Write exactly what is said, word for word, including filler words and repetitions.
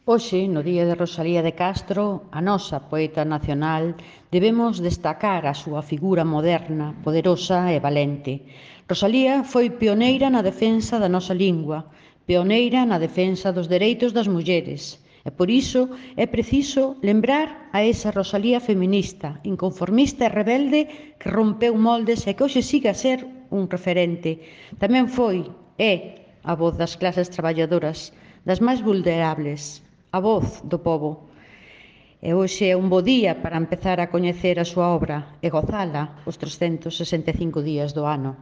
Hoxe, no Día de Rosalía de Castro, a nosa poeta nacional, debemos destacar a súa figura moderna, poderosa e valente. Rosalía foi pioneira na defensa da nosa lingua, pioneira na defensa dos dereitos das mulleres, e por iso é preciso lembrar a esa Rosalía feminista, inconformista e rebelde que rompeu moldes e que hoxe siga a ser un referente. Tamén foi, é, a voz das clases traballadoras, das máis vulnerables, a voz do pobo. E hoxe é un bo día para empezar a coñecer a súa obra e gozala os trescentos sesenta e cinco días do ano.